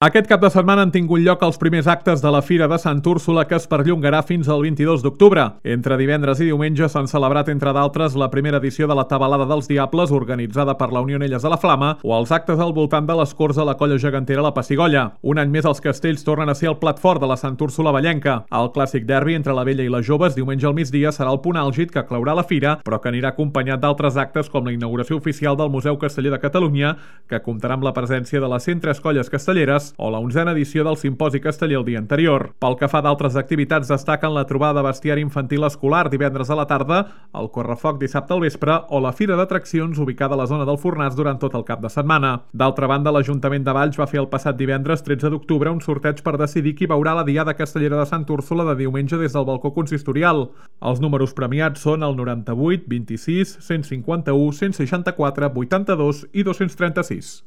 Aquest cap de setmana han tingut lloc els primers actes de la Fira de Sant Úrsula, que es perllongarà fins al 22 d'octubre. Entre divendres i diumenge s'han celebrat, entre d'altres, la primera edició de la Tabalada dels Diables, organitzada per la Unió Onelles de la Flama, o els actes al voltant de les corts a la colla gegantera La Pessigolля. Un any més els castells tornen a ser el plat fort de la Sant Úrsula vallenca. El clàssic derbi entre la vella i les joves, diumenge al migdia, serà el punt àlgid que claurà la fira, però que anirà acompanyat d'altres actes com la inauguració oficial del Museu Casteller de Catalunya, que comptarà amb la presència de les 103 colles castelleres, o la 11a edició del Simposi Casteller el dia anterior. Pel que fa d'altres activitats, destaquen la trobada de bestiari infantil escolar divendres a la tarda, el correfoc dissabte al vespre o la fira d'atraccions ubicada a la zona del Fornàs durant tot el cap de setmana. D'altra banda, l'Ajuntament de Valls va fer el passat divendres 13 d'octubre un sorteig per decidir qui veurà la Diada Castellera de Sant Úrsula de diumenge des del balcó consistorial. Els números premiats són el 98, 26, 151, 164, 82 i 236.